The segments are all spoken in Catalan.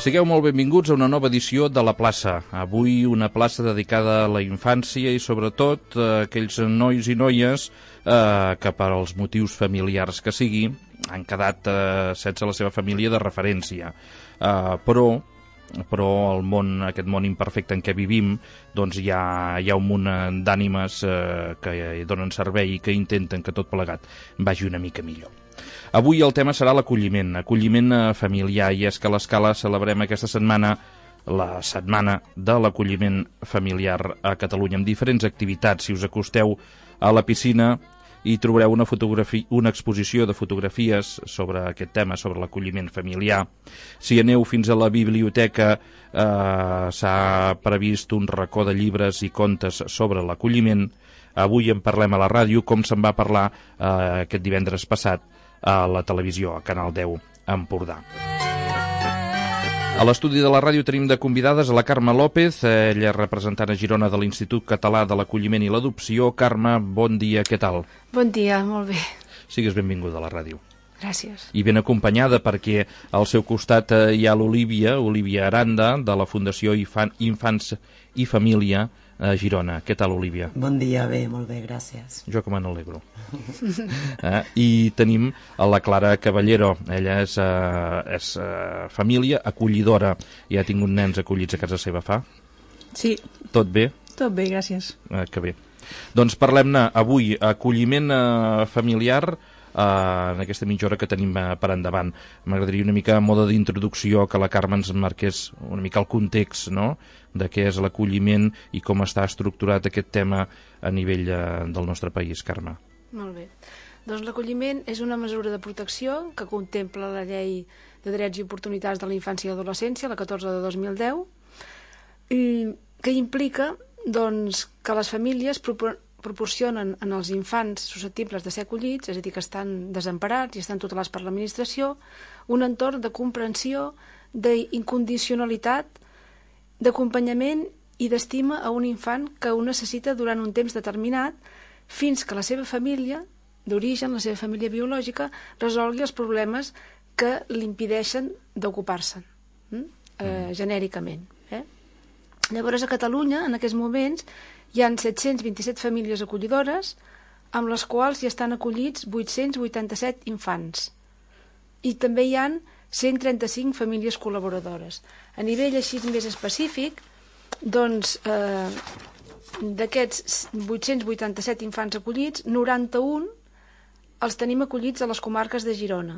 Sigueu molt benvinguts a una nova edició de La Plaça. Avui una plaça dedicada a la infància i sobretot a aquells nois i noies que per als motius familiars que sigui han quedat sense la seva família de referència. Però el món, aquest món imperfecte en què vivim, doncs hi ha un munt d'ànimes que donen servei i que intenten que tot plegat vagi una mica millor. Avui el tema serà l'acolliment familiar, i és que a l'Escala celebrem aquesta setmana la setmana de l'acolliment familiar a Catalunya, amb diferents activitats. Si us acosteu a la piscina hi trobareu una exposició de fotografies sobre aquest tema, sobre l'acolliment familiar. Si aneu fins a la biblioteca s'ha previst un racó de llibres i contes sobre l'acolliment. Avui en parlem a la ràdio, com se'n va parlar aquest divendres passat a la televisió, a Canal 10 Empordà. A l'estudi de la ràdio tenim de convidades a la Carme López, ella és representant a Girona de l'Institut Català de l'Acolliment i l'Adopció. Carme, bon dia, què tal? Bon dia, molt bé. Sigues benvinguda a la ràdio. Gràcies. I ben acompanyada perquè al seu costat hi ha l'Olívia Aranda, de la Fundació Infants i Família a Girona. Què tal, Olívia? Bon dia, bé, molt bé, gràcies. Jo que me n'alegro. I tenim a la Clara Caballero. Ella és família acollidora. Ja ha tingut nens acollits a casa seva, fa? Sí. Tot bé? Tot bé, gràcies. Que bé. Doncs parlem-ne avui, acolliment familiar, en aquesta mitja hora que tenim per endavant. M'agradaria una mica a mode d'introducció que la Carme ens marqués una mica el context, no?, de què és l'acolliment i com està estructurat aquest tema a nivell del nostre país, Carme. Molt bé. Doncs l'acolliment és una mesura de protecció que contempla la Llei de Drets i Oportunitats de la Infància i l'Adolescència, la 14 de 2010, i que implica doncs, que les famílies proporcionen als infants susceptibles de ser acollits, és a dir, que estan desemparats i estan tutelats per l'administració, un entorn de comprensió, d'incondicionalitat, d'acompanyament i d'estima a un infant que ho necessita durant un temps determinat fins que la seva família d'origen, la seva família biològica, resolgui els problemes que l'impedeixen d'ocupar-se'n, genèricament. Llavors, a Catalunya, en aquests moments, hi ha 727 famílies acollidores, amb les quals hi estan acollits 887 infants. I també hi ha 135 famílies col·laboradores. A nivell així més específic, doncs, d'aquests 887 infants acollits, 91 els tenim acollits a les comarques de Girona.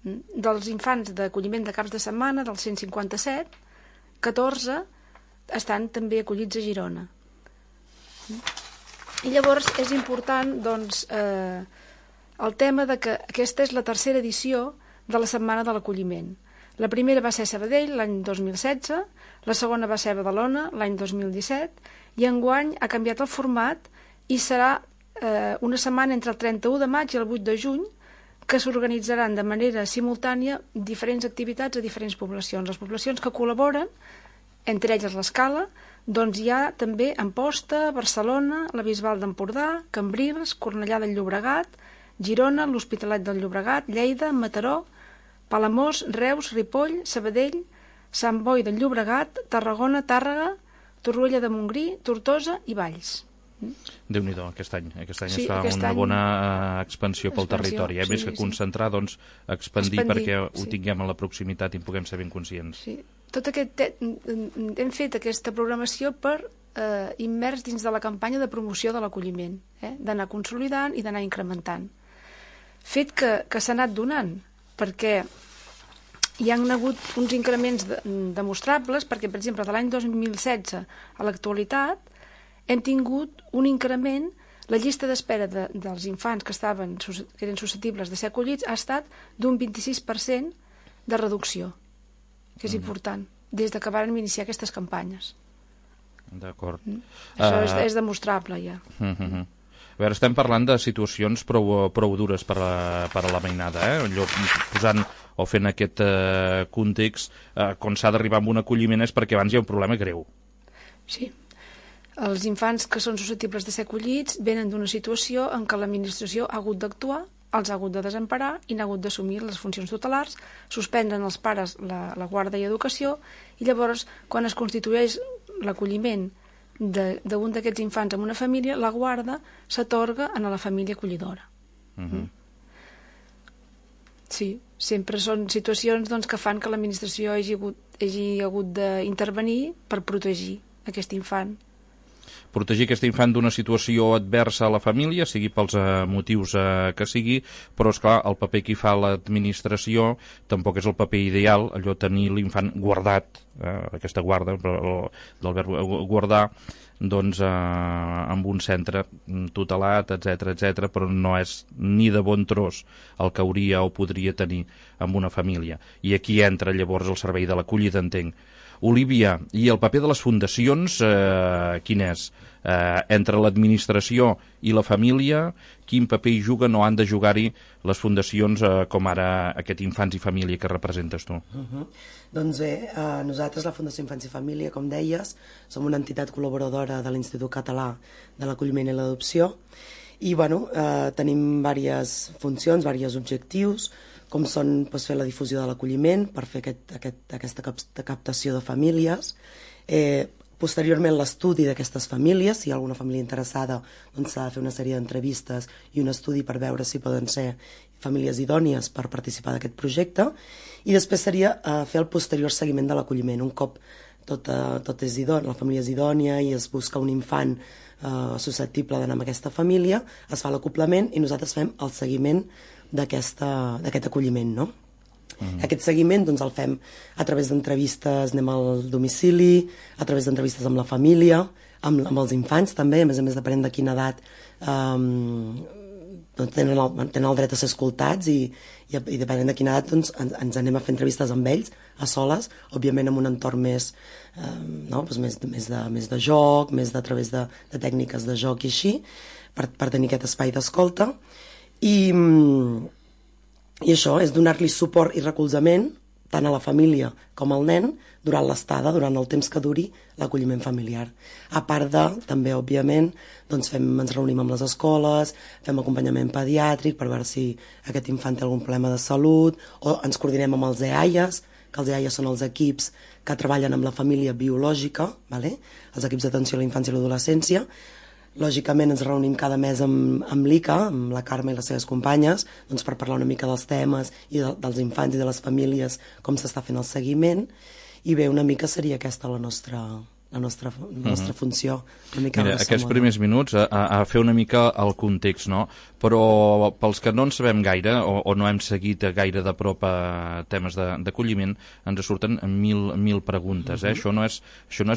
Dels infants d'acolliment de caps de setmana, dels 157, 14 estan també acollits a Girona. I llavors és important doncs, el tema de que aquesta és la tercera edició de la Setmana de l'Acolliment. La primera va ser a Sabadell l'any 2016, la segona va ser a Badalona l'any 2017 i enguany ha canviat el format i serà una setmana entre el 31 de maig i el 8 de juny que s'organitzaran de manera simultània diferents activitats a diferents poblacions. Les poblacions que col·laboren, entre elles l'Escala, doncs hi ha també Amposta, Barcelona, la Bisbal d'Empordà, Cambrils, Cornellà del Llobregat, Girona, l'Hospitalet del Llobregat, Lleida, Mataró, Palamós, Reus, Ripoll, Sabadell, Sant Boi del Llobregat, Tarragona, Tàrrega, Torroella de Montgrí, Tortosa i Valls. Déu-n'hi-do, aquest any sí, es fa una bona expansió pel territori, més que concentrar, doncs expandir perquè ho tinguem a la proximitat i en puguem ser ben conscients. Sí. Hem fet aquesta programació per immers dins de la campanya de promoció de l'acolliment, d'anar consolidant i d'anar incrementant. Fet que s'ha anat donant, perquè hi ha hagut uns increments demostrables, perquè, per exemple, de l'any 2016 a l'actualitat hem tingut un increment, la llista d'espera dels infants que eren susceptibles de ser acollits ha estat d'un 26% de reducció, que és important, des que vàrem iniciar aquestes campanyes. D'acord. Això és demostrable, ja. A veure, estem parlant de situacions prou dures per a la mainada, posant o fent aquest context, quan s'ha d'arribar a un acolliment és perquè abans hi ha un problema greu. Sí. Els infants que són susceptibles de ser acollits venen d'una situació en què l'administració ha hagut d'actuar els ha hagut de desemparar i n'ha hagut d'assumir les funcions tutelars, suspenen els pares la guarda i educació, i llavors, quan es constitueix l'acolliment d'un d'aquests infants en una família, la guarda s'atorga a la família acollidora. Sí, sempre són situacions que fan que l'administració hagi hagut d'intervenir per protegir aquest infant. Protegir aquest infant d'una situació adversa a la família, sigui pels motius que sigui, però, esclar, el paper que hi fa l'administració tampoc és el paper ideal, allò tenir l'infant guardat, aquesta guarda, del verb guardar, doncs amb un centre tutelat, etc, però no és ni de bon tros el que hauria o podria tenir amb una família. I aquí entra llavors el servei de l'acollida, entenc. Olívia, i el paper de les fundacions, quin és? Entre l'administració i la família, quin paper hi juguen o han de jugar-hi les fundacions com ara aquest Infants i Família que representes tu? Doncs bé, nosaltres, la Fundació Infants i Família, com deies, som una entitat col·laboradora de l'Institut Català de l'Acolliment i l'Adopció, i tenim diverses funcions, diversos objectius, com són fer la difusió de l'acolliment, per fer aquesta captació de famílies, posteriorment l'estudi d'aquestes famílies, si hi ha alguna família interessada, doncs s'ha de fer una sèrie d'entrevistes i un estudi per veure si poden ser famílies idònies per participar d'aquest projecte, i després seria fer el posterior seguiment de l'acolliment. Un cop tot és idònia, la família és idònia i es busca un infant susceptible d'anar amb aquesta família, es fa l'acoblament i nosaltres fem el seguiment d'aquest acolliment, no? Aquest seguiment el fem a través d'entrevistes, anem al domicili, a través d'entrevistes amb la família, amb els infants també, a més depenent de quina edat tenen el dret a ser escoltats, i depenent de quina edat ens anem a fer entrevistes amb ells, a soles, òbviament amb un entorn més de joc, més a través de tècniques de joc i així, per tenir aquest espai d'escolta. I això és donar-li suport i recolzament tant a la família com al nen durant l'estada, durant el temps que duri l'acolliment familiar. A part també, òbviament, ens reunim amb les escoles, fem acompanyament pediàtric per veure si aquest infant té algun problema de salut, o ens coordinem amb els EAIAs, que els EAIAs són els equips que treballen amb la família biològica, els equips d'atenció a la infància i l'adolescència. Lògicament ens reunim cada mes amb l'ICA, amb la Carme i les seves companyes, per parlar una mica dels temes i dels infants i de les famílies, com s'està fent el seguiment, i bé, una mica seria aquesta la nostra funció. Mira, aquests primers minuts a fer una mica el context, no? Però pels que no en sabem gaire o no hem seguit gaire de prop temes d'acolliment, ens surten mil preguntes. Això no és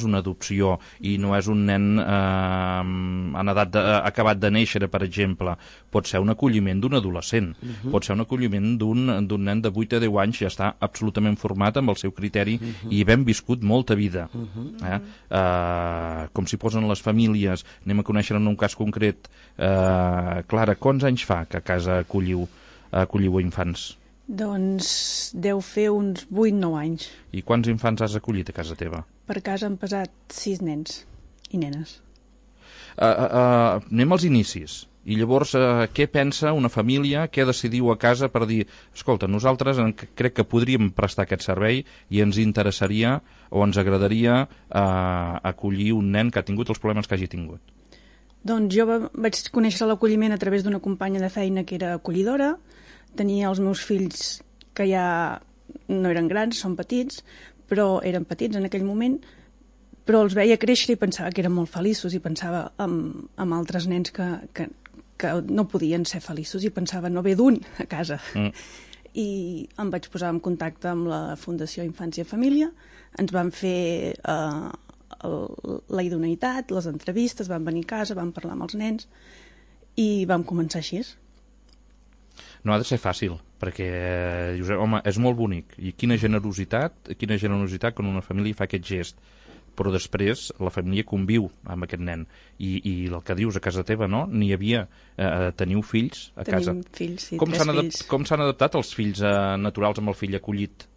una adopció i no és un nen en edat acabat de néixer, per exemple. Pot ser un acolliment d'un adolescent, pot ser un acolliment d'un nen de 8 a 10 anys, ja està absolutament format amb el seu criteri i ben viscut molta vida. Com s'hi posen les famílies, anem a conèixer en un cas concret. Clara, quants anys fa que a casa acolliu infants? Doncs deu fer uns 8-9 anys. I quants infants has acollit a casa teva? Per casa han pesat 6 nens i nenes. Anem als inicis. I llavors, què pensa una família, què decidiu a casa per dir, escolta, nosaltres crec que podríem prestar aquest servei i ens interessaria o ens agradaria acollir un nen que ha tingut els problemes que hagi tingut? Doncs jo vaig conèixer l'acolliment a través d'una companya de feina que era acollidora, tenia els meus fills que ja no eren grans, són petits, però eren petits en aquell moment, però els veia créixer i pensava que eren molt feliços i pensava en altres nens que no podien ser feliços i pensava no ve d'un a casa. I em vaig posar en contacte amb la Fundació Infància i Família, ens van fer la idoneïtat, les entrevistes, van venir a casa, vam parlar amb els nens i vam començar així. No ha de ser fàcil, perquè dius, home, és molt bonic, i quina generositat quan una família fa aquest gest, però després la família conviu amb aquest nen. I el que dius, a casa teva, no? N'hi havia... teniu fills a casa? Tenim fills, sí, tres fills. Com s'han adaptat els fills naturals amb el fill acollit?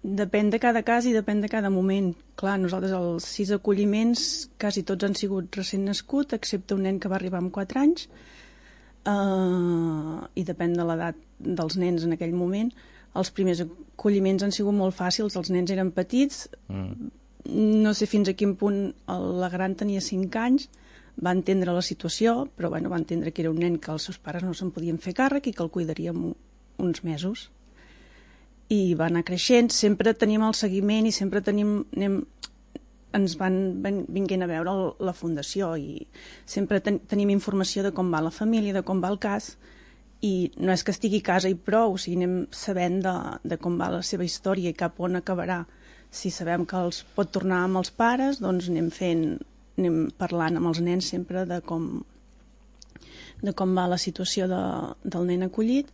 Depèn de cada cas i depèn de cada moment. Clar, nosaltres els 6 acolliments quasi tots han sigut recent nascut, excepte un nen que va arribar amb 4 anys. i depèn de l'edat dels nens en aquell moment. Els primers acolliments han sigut molt fàcils, els nens eren petits, no sé fins a quin punt la gran tenia 5 anys, va entendre la situació, però va entendre que era un nen que els seus pares no se'n podien fer càrrec i que el cuidaríem uns mesos. I va anar creixent, sempre teníem el seguiment i sempre ens van vinguent a veure la fundació i sempre tenim informació de com va la família, de com va el cas, i no és que estigui a casa i prou, o sigui, anem sabent de com va la seva història i cap on acabarà. Si sabem que els pot tornar amb els pares, doncs anem parlant amb els nens sempre de com va la situació del nen acollit,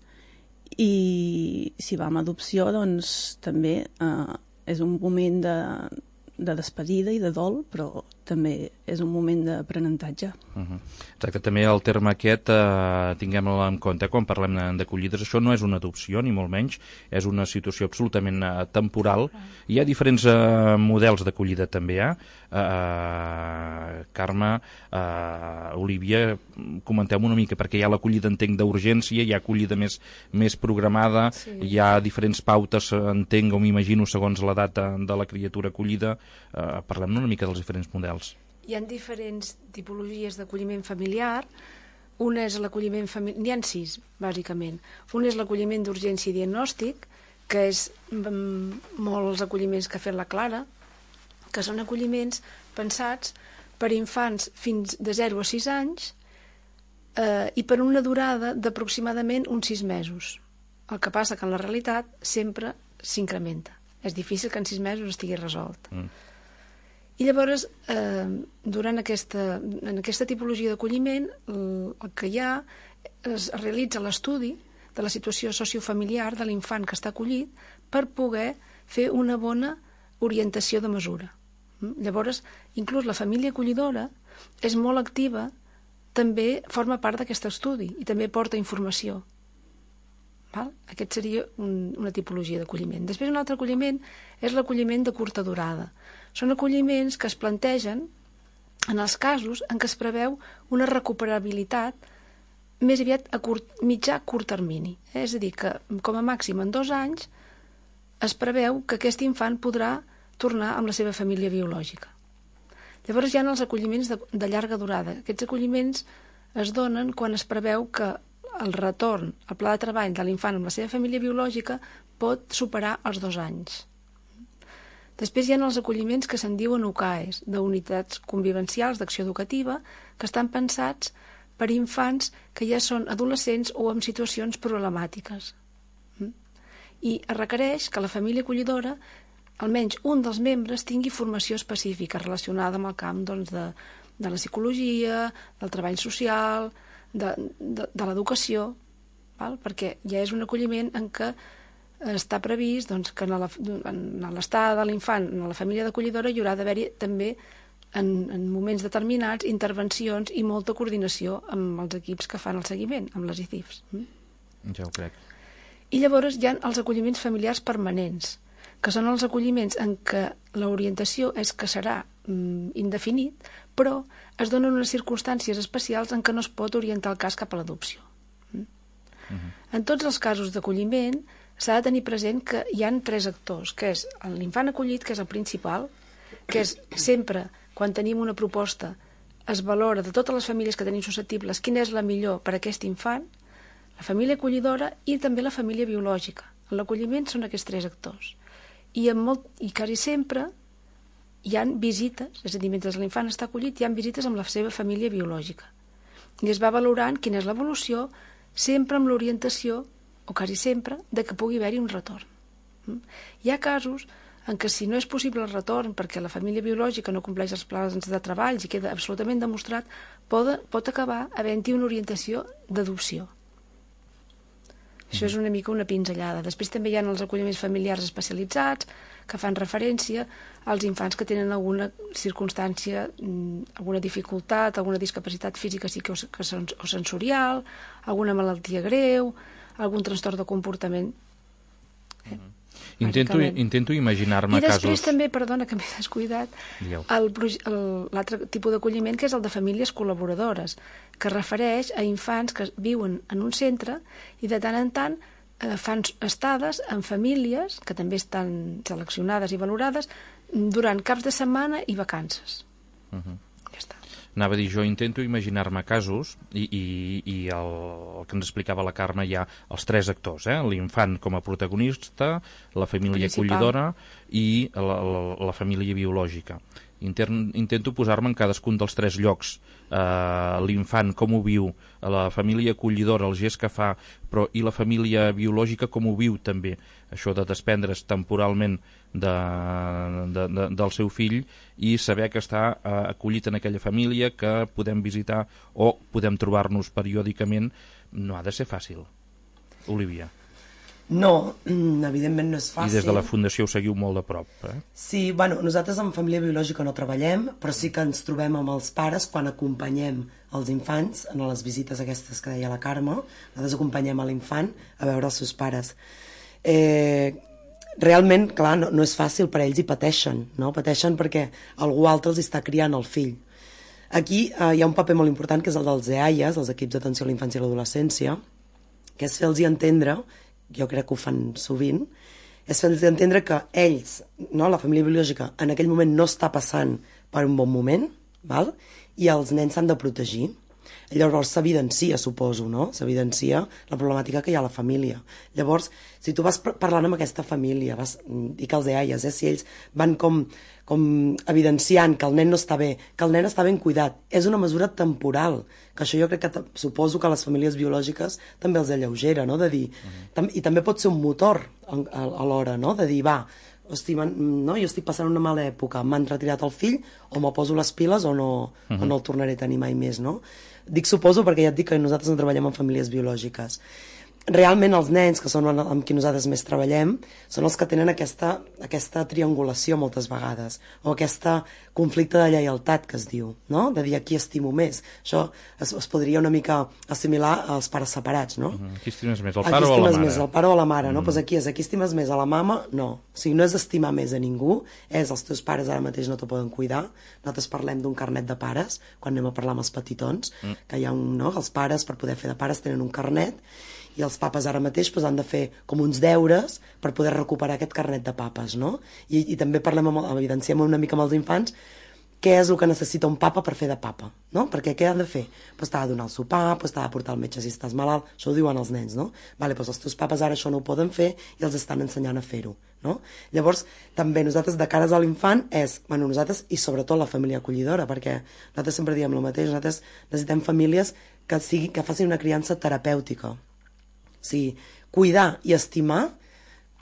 i si va amb adopció, doncs també és un moment de despedida i de dol, però també és un moment d'aprenentatge. Exacte, també el terme aquest tinguem-lo en compte quan parlem d'acollides. Això no és una adopció, ni molt menys, és una situació absolutament temporal. Hi ha diferents models d'acollida també, Carme, Olívia, comenteu una mica, perquè hi ha l'acollida, entenc, d'urgència, hi ha acollida més programada, hi ha diferents pautes, entenc o m'imagino, segons l'edat de la criatura acollida. Parlem una mica dels diferents models. Hi ha diferents tipologies d'acolliment familiar. Una és l'acolliment familiar... N'hi ha 6, bàsicament. Un és l'acolliment d'urgència i diagnòstic, que és molt els acolliments que ha fet la Clara, que són acolliments pensats per infants fins de 0 a 6 anys i per una durada d'aproximadament uns 6 mesos. El que passa que en la realitat sempre s'incrementa. És difícil que en 6 mesos estigui resolt. I llavors, en aquesta tipologia d'acolliment, el que hi ha, es realitza l'estudi de la situació sociofamiliar de l'infant que està acollit per poder fer una bona orientació de mesura. Llavors, inclús la família acollidora és molt activa, també forma part d'aquest estudi i també porta informació. Aquest seria una tipologia d'acolliment. Després, un altre acolliment és l'acolliment de curta durada. Són acolliments que es plantegen en els casos en què es preveu una recuperabilitat més aviat a mitjà-curt termini. És a dir, que com a màxim en 2 anys es preveu que aquest infant podrà tornar amb la seva família biològica. Llavors hi ha els acolliments de llarga durada. Aquests acolliments es donen quan es preveu que el retorn al pla de treball de l'infant amb la seva família biològica pot superar els 2 anys. Després hi ha els acolliments que se'n diuen UCAES, d'unitats convivencials d'acció educativa, que estan pensats per infants que ja són adolescents o en situacions problemàtiques. I es requereix que la família acollidora, almenys un dels membres, tingui formació específica relacionada amb el camp de la psicologia, del treball social, de l'educació, perquè ja és un acolliment en què està previst que en l'estada de l'infant, en la família d'acollidora, hi haurà d'haver-hi també en moments determinats intervencions i molta coordinació amb els equips que fan el seguiment, amb les ICIFs. Ja ho crec. I llavors hi ha els acolliments familiars permanents, que són els acolliments en què l'orientació és que serà indefinit, però es donen unes circumstàncies especials en què no es pot orientar el cas cap a l'adopció. En tots els casos d'acolliment s'ha de tenir present que hi ha 3 actors, que és l'infant acollit, que és el principal, que és sempre, quan tenim una proposta, es valora de totes les famílies que tenim susceptibles quina és la millor per a aquest infant, la família acollidora i també la família biològica. En l'acolliment són aquests 3 actors. I quasi sempre hi ha visites, és a dir, mentre l'infant està acollit, hi ha visites amb la seva família biològica. I es va valorant quina és l'evolució, sempre amb l'orientació, o quasi sempre, de que pugui haver-hi un retorn. Hi ha casos en què si no és possible el retorn perquè la família biològica no compleix els plans de treball i queda absolutament demostrat, pot acabar havent-hi una orientació d'adopció. Això és una mica una pinzellada. Després també hi ha els acolliments familiars especialitzats que fan referència als infants que tenen alguna circumstància, alguna dificultat, alguna discapacitat física o sensorial, alguna malaltia greu, algun trastorn de comportament. Intento imaginar-me casos... I després també, perdona que m'he descuidat, l'altre tipus d'acolliment, que és el de famílies col·laboradores, que refereix a infants que viuen en un centre i de tant en tant fan estades en famílies que també estan seleccionades i valorades durant caps de setmana i vacances. Ja està. Anava a dir, jo intento imaginar-me casos i el que ens explicava la Carme hi ha els tres actors, l'infant com a protagonista, la família acollidora i la família biològica. Intento posar-me en cadascun dels tres llocs, l'infant com ho viu, la família acollidora, el gest que fa, però i la família biològica com ho viu també, això de desprendre's temporalment del seu fill i saber que està acollit en aquella família, que podem visitar o podem trobar-nos periòdicament. No ha de ser fàcil, Olivia. No, evidentment no és fàcil. I des de la Fundació ho seguiu molt de prop, Sí, nosaltres en família biològica no treballem, però sí que ens trobem amb els pares quan acompanyem els infants en les visites aquestes que deia la Carme. Nosaltres acompanyem a l'infant a veure els seus pares. Realment, clar, no és fàcil per a ells i pateixen, no? Pateixen perquè algú altre els està criant el fill. Aquí hi ha un paper molt important, que és el dels EAIAs, els equips d'atenció a la infància i l'adolescència, que és fer-los entendre, jo crec que ho fan sovint, és fer-los entendre que ells, no, la família biològica, en aquell moment no està passant per un bon moment, val? I els nens s'han de protegir. Llavors s'evidencia, suposo, no? S'evidencia la problemàtica que hi ha a la família. Llavors, si tu vas parlant amb aquesta família, dic els EAIAs, si ells van com evidenciant que el nen no està bé, que el nen està ben cuidat, és una mesura temporal, que això jo crec que suposo que les famílies biològiques també els alleugera, no? De dir, i també pot ser un motor alhora, no? De dir, hosti, no, jo estic passant una mala època, m'han retirat el fill, o me poso les piles o no el tornaré a tenir mai més, no? Dic suposo perquè ja et dic que nosaltres no treballem en famílies biològiques. Realment els nens, que són amb qui nosaltres més treballem, són els que tenen aquesta triangulació moltes vegades, o aquest conflicte de lleialtat que es diu, no? De dir a qui estimo més. Això es podria una mica assimilar als pares separats, no? Qui estimes més, el pare o la mare? Més, el pare o la mare, no? Pues aquí estimes més a la mama? No. O sigui, no és estimar més a ningú, és els teus pares ara mateix no te poden cuidar. Nosaltres parlem d'un carnet de pares, quan anem a parlar amb els petitons, que hi ha els pares, per poder fer de pares, tenen un carnet, i els papes ara mateix han de fer com uns deures per poder recuperar aquest carnet de papes, no? I també evidenciem una mica amb els infants què és el que necessita un papa per fer de papa, no? Perquè què han de fer? T'ha de donar el sopar, t'ha de portar al metge si estàs malalt, això ho diuen els nens, no? Els teus papes ara això no ho poden fer i els estan ensenyant a fer-ho, no? Llavors, també nosaltres de cares a l'infant nosaltres i sobretot la família acollidora, perquè nosaltres sempre diem el mateix, nosaltres necessitem famílies que facin una criança terapèutica. O sigui, cuidar i estimar,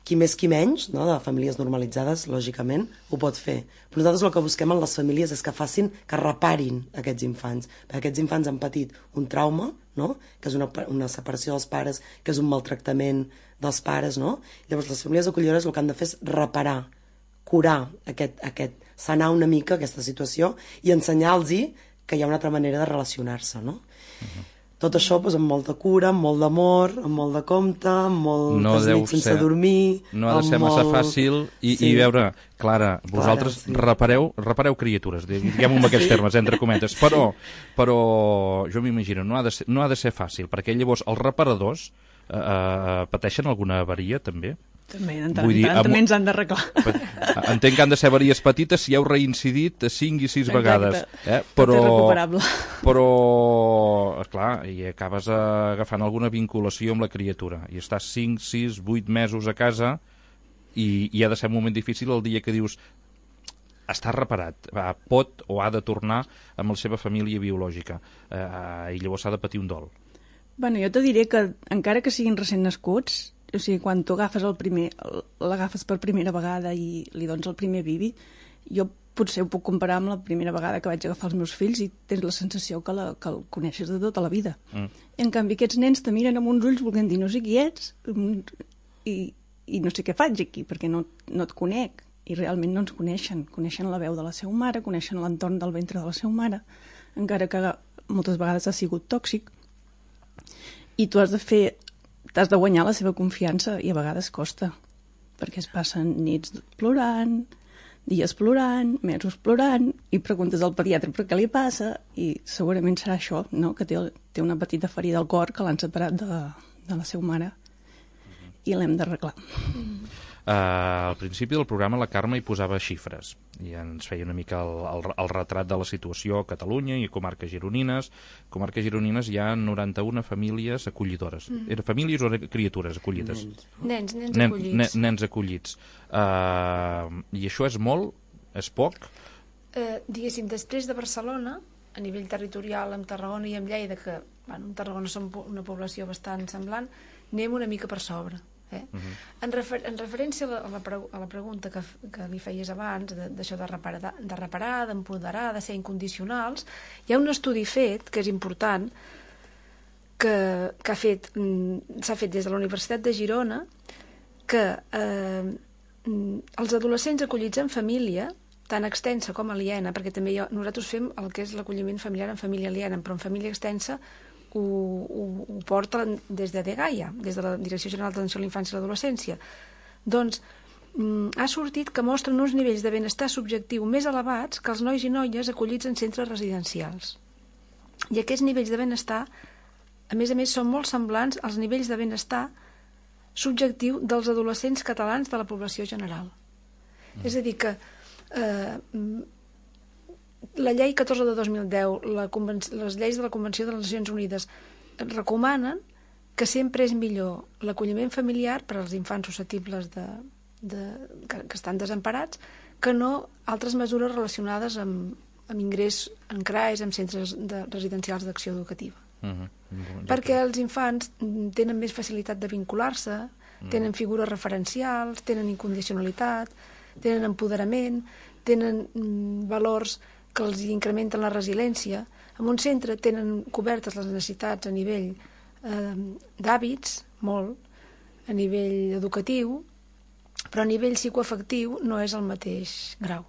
qui més qui menys, no? De famílies normalitzades, lògicament, ho pot fer. Però nosaltres el que busquem en les famílies és que reparin aquests infants. Perquè aquests infants han patit un trauma, no? Que és una separació dels pares, que és un maltractament dels pares, no? Llavors les famílies acollidores el que han de fer és reparar, curar sanar una mica aquesta situació i ensenyar-los que hi ha una altra manera de relacionar-se, no? Tot això amb molta cura, amb molt d'amor, amb molt de compte, amb moltes nits sense dormir... No ha de ser massa fàcil i veure, Clara, vosaltres repareu criatures, diguem-ho amb aquests termes, entre cometes, però jo m'imagino, no ha de ser fàcil, perquè llavors els reparadors pateixen alguna avaria també? També, també ens han d'arreglar. Entenc que han de ser avaries petites si heu reincidit 5 i 6 vegades. Però, clar, i acabes agafant alguna vinculació amb la criatura. I estàs 5, 6, 8 mesos a casa i ha de ser un moment difícil el dia que dius està reparat, pot o ha de tornar amb la seva família biològica. I llavors s'ha de patir un dol. Bueno, jo te diré que encara que siguin recent nascuts, o sigui, quan tu agafes l'agafes per primera vegada i li dones el primer bibi, jo potser ho puc comparar amb la primera vegada que vaig agafar els meus fills i tens la sensació que el coneixes de tota la vida. En canvi, aquests nens te miren amb uns ulls volent dir no sé qui ets i no sé què faig aquí, perquè no et conec. I realment no ens coneixen la veu de la seva mare, coneixen l'entorn del ventre de la seva mare, encara que moltes vegades ha sigut tòxic. I tu has de guanyar la seva confiança i a vegades costa. perquè es passen nits plorant, dies plorant, mesos plorant, i preguntes al pediatre per què li passa, i segurament serà això, no? Que té una petita ferida al cor que l'han separat de la seva mare i l'hem d'arreglar. Al principi del programa la Carme hi posava xifres i ens feia una mica el retrat de la situació a Catalunya i a comarques gironines. A comarques gironines hi ha 91 famílies acollidores. Eren famílies o criatures acollides? Nens acollits. Nens acollits. I això és molt? És poc? Diguéssim, després de Barcelona, a nivell territorial, amb Tarragona i amb Lleida, que en Tarragona som una població bastant semblant, anem una mica per sobre. En referència a la pregunta que li feies abans, d'això de reparar, d'empoderar, de ser incondicionals, hi ha un estudi fet, que és important, que s'ha fet des de la Universitat de Girona, que els adolescents acollits en família, tant extensa com aliena, perquè també nosaltres fem el que és l'acolliment familiar en família aliena, però en família extensa ho porta des de DGAIA, des de la Direcció General d'Atenció a la Infància i l'Adolescència. Doncs ha sortit que mostren uns nivells de benestar subjectiu més elevats que els nois i noies acollits en centres residencials. I aquests nivells de benestar, a més, són molt semblants als nivells de benestar subjectiu dels adolescents catalans de la població general. És a dir, que la llei 14 de 2010, les lleis de la Convenció de les Nacions Unides recomanen que sempre és millor l'acolliment familiar per als infants susceptibles que estan desemparats que no altres mesures relacionades amb ingrés en CRAES, en centres residencials d'acció educativa. Perquè els infants tenen més facilitat de vincular-se, tenen figures referencials, tenen incondicionalitat, tenen empoderament, tenen valors que els incrementen la resiliència. En un centre tenen cobertes les necessitats a nivell d'hàbits, molt, a nivell educatiu, però a nivell psicoafectiu no és el mateix grau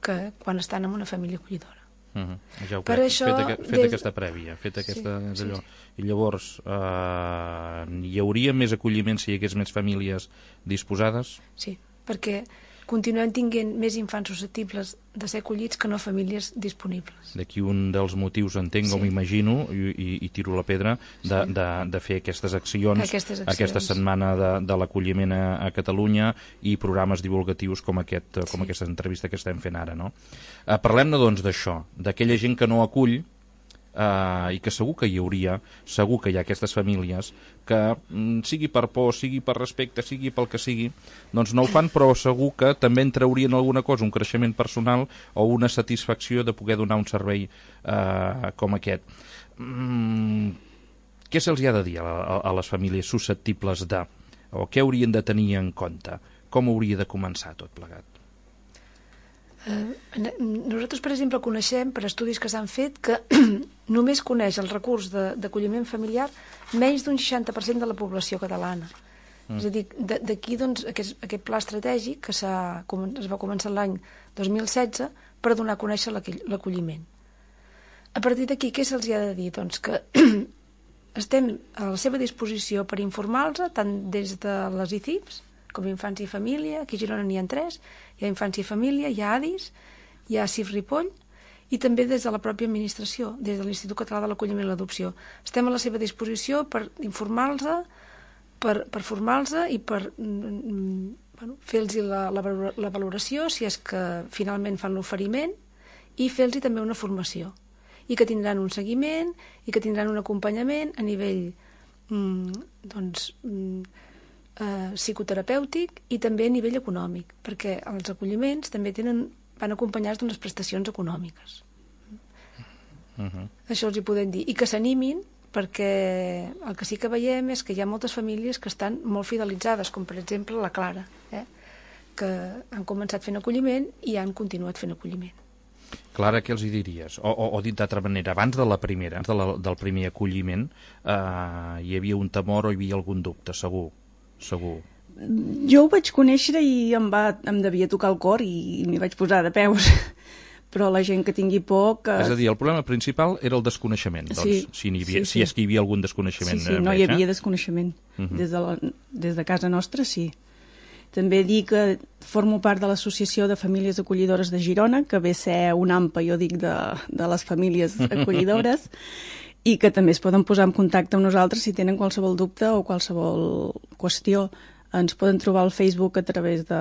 que quan estan en una família acollidora. Ja ho crec, fet aquesta prèvia, fet aquesta... Sí. I llavors, hi hauria més acolliment si hi hagués més famílies disposades? Sí, perquè continuem tinguent més infants susceptibles de ser acollits que no famílies disponibles. D'aquí un dels motius, entenc, o m'imagino, i tiro la pedra, de fer aquestes accions, aquesta setmana de l'acolliment a Catalunya i programes divulgatius com aquesta entrevista que estem fent ara, no? Parlem-ne, doncs, d'això, d'aquella gent que no acull, i que segur que hi hauria, segur que hi ha aquestes famílies que, sigui per por, sigui per respecte, sigui pel que sigui, doncs no ho fan, però segur que també en traurien alguna cosa, un creixement personal o una satisfacció de poder donar un servei com aquest. Què se'ls ha de dir a les famílies susceptibles de, o què haurien de tenir en compte? Com hauria de començar tot plegat? Nosaltres, per exemple, coneixem per estudis que s'han fet que només coneix el recurs d'acolliment familiar menys d'un 60% de la població catalana. És a dir, d'aquí doncs, aquest pla estratègic que es va començar l'any 2016 per donar a conèixer l'acolliment. A partir d'aquí, què se'ls ha de dir? Doncs que estem a la seva disposició per informar-los tant des de les ICIPs com Infància i Família. Aquí a Girona n'hi ha 3, hi ha Infància i Família, hi ha ADIS, hi ha CIF Ripoll, i també des de la pròpia administració, des de l'Institut Català de l'Acolliment i l'Adopció. Estem a la seva disposició per informar-los, per formar-los i per fer-los la valoració, si és que finalment fan l'oferiment, i fer-los també una formació, i que tindran un seguiment, i que tindran un acompanyament a nivell psicoterapèutic i també a nivell econòmic, perquè els acolliments també van acompanyats d'unes prestacions econòmiques. Això els hi podem dir. I que s'animin, perquè el que sí que veiem és que hi ha moltes famílies que estan molt fidelitzades, com per exemple la Clara, que han començat fent acolliment i han continuat fent acolliment. Clara, què els hi diries? O dit d'altra manera, abans del primer acolliment, hi havia un temor o hi havia algun dubte, segur? Jo ho vaig conèixer i em devia tocar el cor i m'hi vaig posar de peus. Però la gent que tingui por... És a dir, el problema principal era el desconeixement, doncs, si és que hi havia algun desconeixement. Sí, no hi havia desconeixement. Des de casa nostra, sí. També dir que formo part de l'Associació de Famílies Acollidores de Girona, que ve a ser un AMPA, jo dic, de les famílies acollidores, i que també es poden posar en contacte amb nosaltres si tenen qualsevol dubte o qualsevol qüestió. Ens poden trobar al Facebook a través de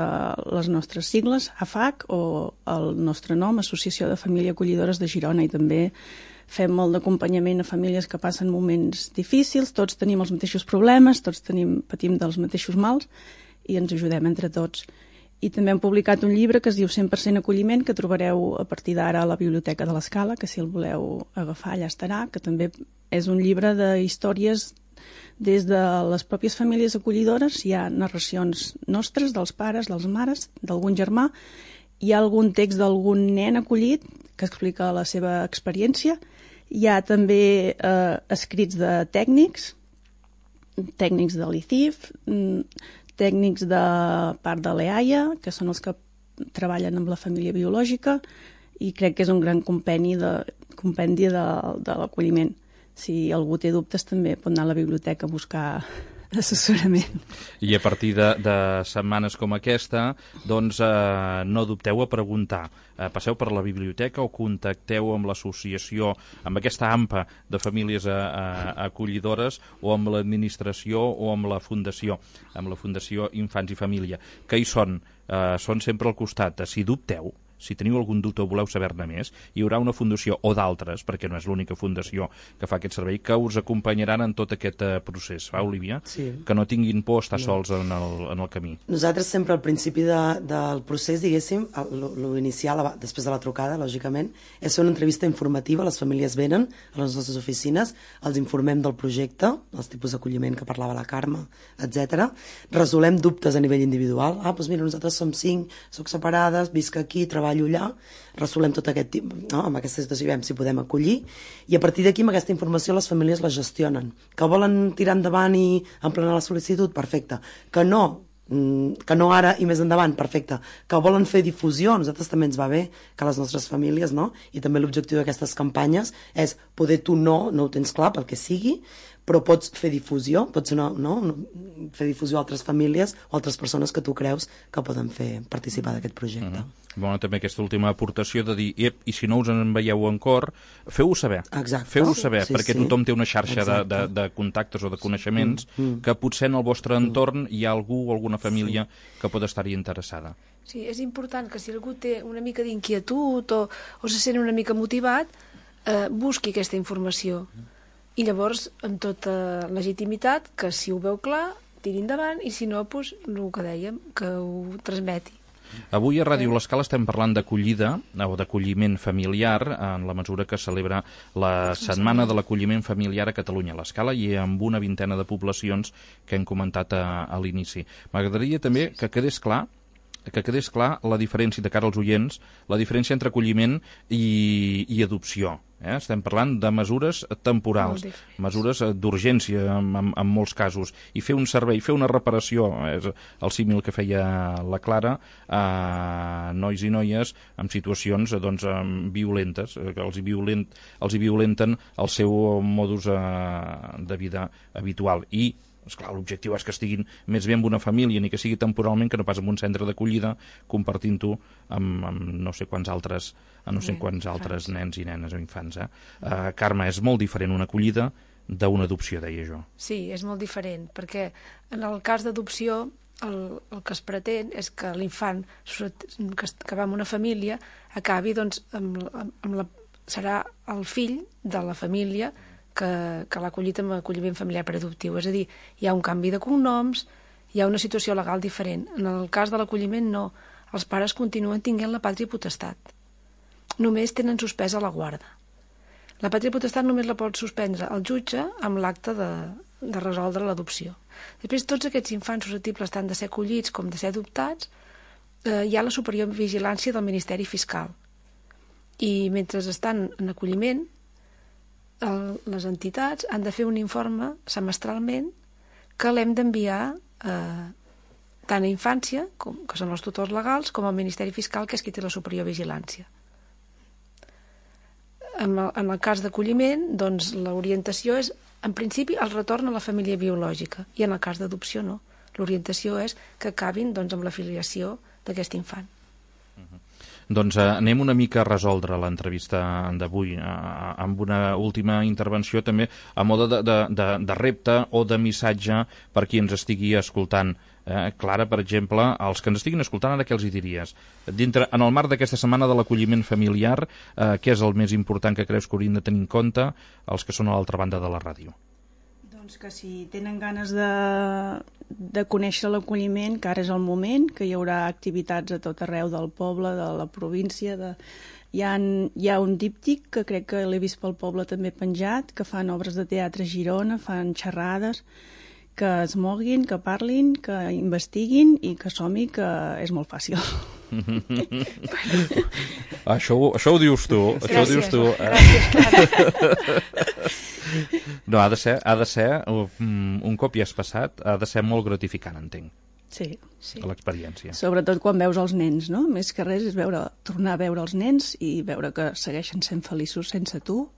les nostres sigles, AFAC, o el nostre nom, Associació de Famílies Acollidores de Girona, i també fem molt d'acompanyament a famílies que passen moments difícils, tots tenim els mateixos problemes, tots patim dels mateixos mals i ens ajudem entre tots. I també hem publicat un llibre que es diu 100% acolliment, que trobareu a partir d'ara a la Biblioteca de l'Escala, que si el voleu agafar allà estarà, que també és un llibre d'històries des de les pròpies famílies acollidores. Hi ha narracions nostres, dels pares, dels mares, d'algun germà, hi ha algun text d'algun nen acollit que explica la seva experiència. Hi ha també escrits de tècnics de l'ICIF, tècnics de part de l'EAIA, que són els que treballen amb la família biològica, i crec que és un gran compendi de l'acolliment. Si algú té dubtes també pot anar a la biblioteca a buscar assessorament. I a partir de setmanes com aquesta, doncs no dubteu a preguntar. Passeu per la biblioteca o contacteu amb l'associació, amb aquesta AMPA de famílies acollidores, o amb l'administració o amb la Fundació Infants i Família, que hi són sempre al costat. Si dubteu, si teniu algun dubte o voleu saber-ne més, hi haurà una fundació o d'altres, perquè no és l'única fundació que fa aquest servei, que us acompanyaran en tot aquest procés. Va, Olivia? Sí. Que no tinguin por estar sols en el camí. Nosaltres sempre al principi del procés, diguéssim, l'inicial, després de la trucada, lògicament, és fer una entrevista informativa. Les famílies venen a les nostres oficines, els informem del projecte, els tipus d'acolliment que parlava la Carme, etc. Resolem dubtes a nivell individual. Doncs mira, nosaltres som 5, soc separades, visc aquí, treballo allà, resolem tot aquest tipus, no? Amb aquesta situació, veiem si podem acollir, i a partir d'aquí, amb aquesta informació, les famílies la gestionen. Que volen tirar endavant i emplenar la sol·licitud? Perfecte. Que no ara i més endavant? Perfecte. Que volen fer difusió? A nosaltres també ens va bé que les nostres famílies, no? I també l'objectiu d'aquestes campanyes és poder tu no ho tens clar pel que sigui, però pots fer difusió, pots fer difusió a altres famílies o altres persones que tu creus que poden participar d'aquest projecte. Bueno, també aquesta última aportació de dir, i si no us en veieu en cor, feu-ho saber. Exacte. Feu-ho saber, Sí, perquè sí. tothom té una xarxa de contactes o de coneixements que potser en el vostre entorn hi ha algú o alguna família que pot estar-hi interessada. Sí, és important que si algú té una mica d'inquietud o se sent una mica motivat, busqui aquesta informació. I llavors, amb tota legitimitat, que si ho veu clar, tiri endavant, i si no, doncs, el que dèiem, que ho transmeti. Avui a Ràdio L'Escala estem parlant d'acollida o d'acolliment familiar en la mesura que celebra la Setmana de l'Acolliment Familiar a Catalunya, a l'Escala, i amb una vintena de poblacions que hem comentat a l'inici. M'agradaria també que quedés clar la diferència, de cara als oients, la diferència entre acolliment i adopció. Estem parlant de mesures temporals, mesures d'urgència en molts casos, i fer un servei, fer una reparació, és el símil que feia la Clara, a nois i noies en situacions violentes, que els hi violenten el seu modus de vida habitual. I esclar, l'objectiu és que estiguin més bé amb una família, ni que sigui temporalment, que no pas en un centre d'acollida, compartint-ho amb no sé quants altres nens i nenes o infants. Carme, és molt diferent una acollida d'una adopció, deia jo. Sí, és molt diferent, perquè en el cas d'adopció el que es pretén és que l'infant que va amb una família acabi, doncs, serà el fill de la família que l'ha acollit amb acolliment familiar per adoptiu. És a dir, hi ha un canvi de cognoms, hi ha una situació legal diferent. En el cas de l'acolliment, no. Els pares continuen tenint la pàtria potestat. Només tenen suspesa la guarda. La pàtria potestat només la pot suspendre el jutge amb l'acte de resoldre l'adopció. Després, tots aquests infants susceptibles tant de ser acollits com de ser adoptats, hi ha la superior vigilància del Ministeri Fiscal. I mentre estan en acolliment, les entitats han de fer un informe semestralment que l'hem d'enviar tant a infància, que són els tutors legals, com al Ministeri Fiscal, que és qui té la superior vigilància. En el cas d'acolliment, doncs, l'orientació és, en principi, el retorn a la família biològica, i en el cas d'adopció no. L'orientació és que acabin doncs, amb la filiació d'aquest infant. Doncs anem una mica a resoldre l'entrevista d'avui amb una última intervenció també a mode de repte o de missatge per qui ens estigui escoltant. Clara, per exemple, als que ens estiguin escoltant, ara què els hi diries? En el marc d'aquesta setmana de l'acolliment familiar, què és el més important que creus que haurien de tenir en compte els que són a l'altra banda de la ràdio? Doncs que si tenen ganes de conèixer l'acolliment, que ara és el moment, que hi haurà activitats a tot arreu del poble, de la província. Hi ha un díptic que crec que l'he vist pel poble també penjat, que fan obres de teatre a Girona, fan xerrades, que es moguin, que parlin, que investiguin i que som-hi, que és molt fàcil. Això ho dius tu. Gràcies, això ho dius tu. No, ha de ser un cop hi has passat, ha de ser molt gratificant, entenc. Sí. L'experiència. Sobretot quan veus els nens, no? Més que res és tornar a veure els nens i veure que segueixen sent feliços sense tu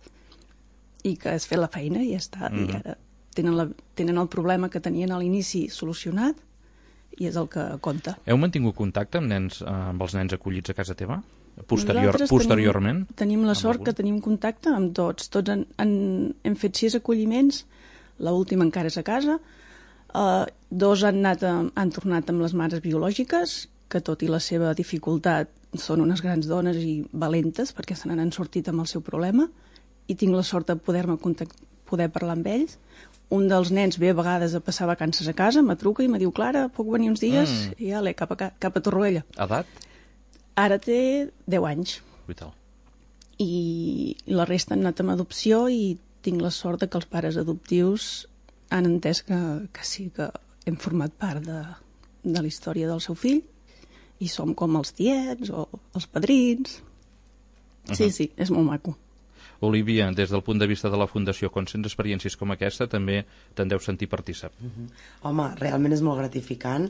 i que has fet la feina i ja està. I ara tenen el problema que tenien a l'inici solucionat i és el que compta. Heu mantingut contacte amb els nens acollits a casa teva? Posteriorment? Tenim la sort que tenim contacte amb tots. Tots hem fet 6 acolliments, l'última encara és a casa. 2 han tornat amb les mares biològiques, que tot i la seva dificultat són unes grans dones i valentes perquè se n'han sortit amb el seu problema i tinc la sort de poder parlar amb ells. Un dels nens ve a vegades a passar vacances a casa, me truca i me diu, Clara, puc venir uns dies? I ja cap a Torroella. Edat? Ara té 10 anys. Vital. I la resta han anat amb adopció i tinc la sort que els pares adoptius han entès que sí, que hem format part de la història del seu fill i som com els tiets o els padrins. Sí, és molt maco. Olivia, des del punt de vista de la Fundació, quan sents experiències com aquesta, també te'n deus sentir partícip. Home, realment és molt gratificant.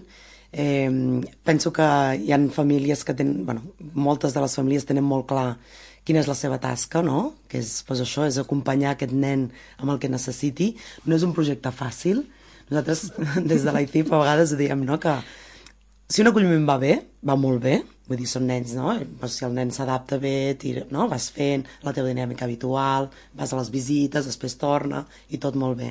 Penso que hi ha famílies que tenen... moltes de les famílies tenen molt clar quina és la seva tasca, no? Que és, això, és acompanyar aquest nen amb el que necessiti. No és un projecte fàcil. Nosaltres, des de l'ICIF, a vegades diem, no?, que si un acolliment va bé, va molt bé, vull dir, són nens, no? Si el nen s'adapta bé, no? Vas fent la teva dinàmica habitual, vas a les visites, després torna, i tot molt bé.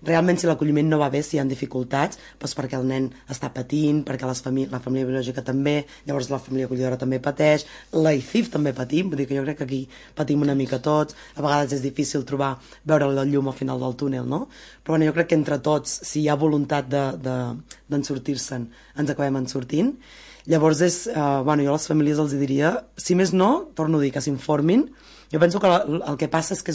Realment, si l'acolliment no va bé, si hi ha dificultats, doncs perquè el nen està patint, perquè la família biològica també, llavors la família acollidora també pateix, la ICIF també patim, vull dir que jo crec que aquí patim una mica tots, a vegades és difícil veure la llum al final del túnel, no? Però jo crec que entre tots, si hi ha voluntat d'en sortir-se'n, ens acabem en sortint. Llavors jo a les famílies els diria, si més no, torno a dir que s'informin. Jo penso que el que passa és que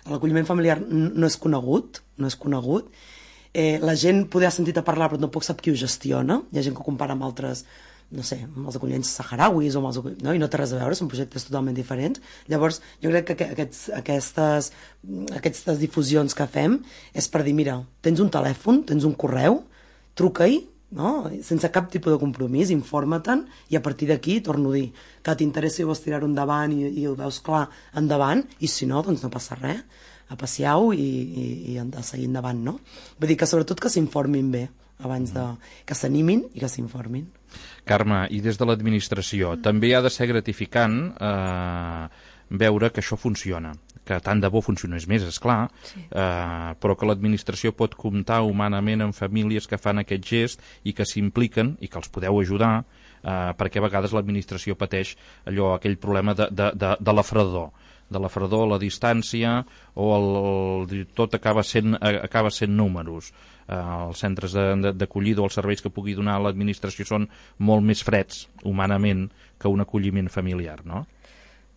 l'acolliment familiar no és conegut, la gent poder ha sentit a parlar però tampoc sap qui ho gestiona, hi ha gent que ho compara amb altres, no sé, amb els acolliments saharauis i no té res a veure, són projectes totalment diferents. Llavors jo crec que aquestes difusions que fem és per dir, mira, tens un telèfon, tens un correu, truca-hi, no? Sense cap tipus de compromís, informa-te'n i a partir d'aquí, torno a dir, que t'interessi i vols tirar-ho endavant i ho veus clar, endavant, i si no, doncs no passa res, apassiau i a seguir endavant, no? Vull dir que sobretot que s'informin bé abans que s'animin i que s'informin. Carme, i des de l'administració, també ha de ser gratificant veure que això funciona, que tant de bo funcionés més, esclar, però que l'administració pot comptar humanament amb famílies que fan aquest gest i que s'impliquen i que els podeu ajudar, perquè a vegades l'administració pateix aquell problema de la fredor, la distància, o tot acaba sent números. Els centres d'acollida o els serveis que pugui donar l'administració són molt més freds, humanament, que un acolliment familiar, no?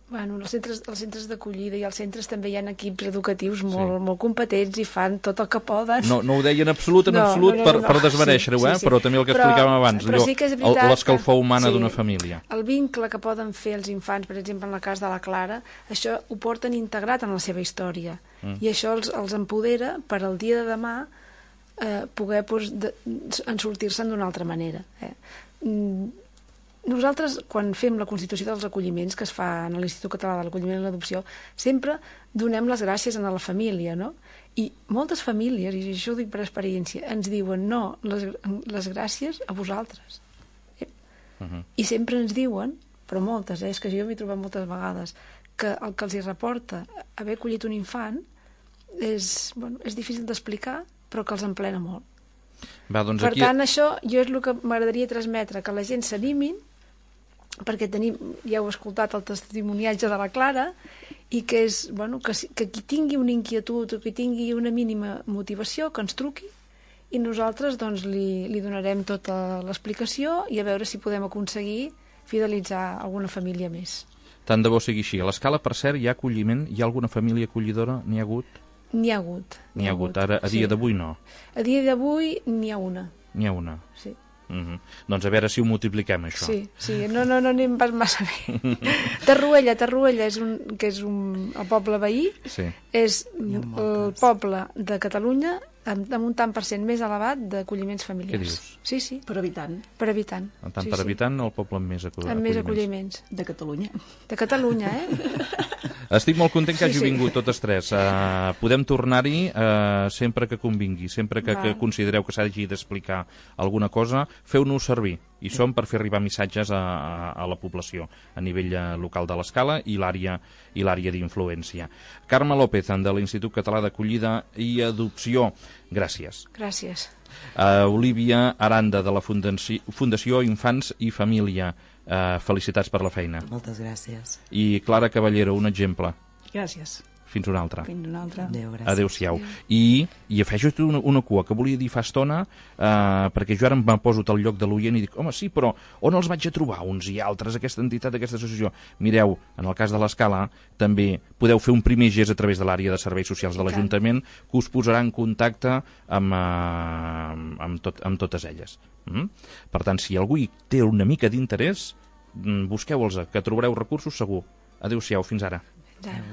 Bueno, els centres d'acollida i als centres també hi ha equips educatius molt competents i fan tot el que poden. No ho deien en absolut per desmereixer-ho, però també el que explicàvem abans, l'escalfor humana d'una família. El vincle que poden fer els infants, per exemple, en el cas de la Clara, això ho porten integrat en la seva història. I això els empodera per al dia de demà poder en sortir-se'n d'una altra manera. Nosaltres, quan fem la constitució dels acolliments, que es fa en l'Institut Català de l'Acolliment i l'Adopció, sempre donem les gràcies a la família, no? I moltes famílies, i això ho dic per experiència, ens diuen no, les gràcies a vosaltres. I sempre ens diuen, però moltes, és que jo m'he trobat moltes vegades, que el que els hi reporta haver acollit un infant és difícil d'explicar, però que els emplena molt. Va, doncs per tant, això jo és el que m'agradaria transmetre, que la gent s'animin, perquè ja heu escoltat el testimoniatge de la Clara, i que qui tingui una inquietud o que tingui una mínima motivació, que ens truqui, i nosaltres doncs, li donarem tota l'explicació i a veure si podem aconseguir fidelitzar alguna família més. Tant de bo sigui així. A l'Escala, per cert, hi ha acolliment? Hi ha alguna família acollidora? N'hi ha hagut? N'hi ha hagut. N'hi ha hagut. Ara, a dia d'avui no? A dia d'avui n'hi ha una. N'hi ha una? Sí. Doncs a veure si ho multipliquem, això. Sí, no anem pas massa bé. Tarruella, que és el poble veí, és el poble de Catalunya amb un tant per cent més elevat d'acolliments familiars. Què dius? Sí. Per habitant. Per habitant. Per habitant, el poble amb més acolliments. Amb més acolliments. De Catalunya. De Catalunya, Estic molt content que hagi vingut totes tres. Podem tornar-hi sempre que convingui, sempre que considereu que s'hagi d'explicar alguna cosa, feu-nos servir. I som per fer arribar missatges a la població a nivell local de l'Escala i l'àrea d'influència. Carme López, de l'Institut Català d'Acollida i Adopció, gràcies. Gràcies. Olívia Aranda, de la Fundació Infants i Família, felicitats per la feina. Moltes gràcies. I Clara Caballero, un exemple. Gràcies. Fins una altra. Fins una altra. Adéu, gràcies. Adéu-siau. I afegeixo una cua que volia dir fa estona, perquè jo ara em poso al lloc de l'oient i dic, home, sí, però on els vaig a trobar uns i altres, aquesta entitat, aquesta associació? Mireu, en el cas de l'Escala, també podeu fer un primer gest a través de l'àrea de serveis socials de l'Ajuntament, que us posarà en contacte amb totes elles. Per tant, si algú hi té una mica d'interès, busqueu-los, que trobareu recursos segur. Adéu-siau, fins ara. Fins ara.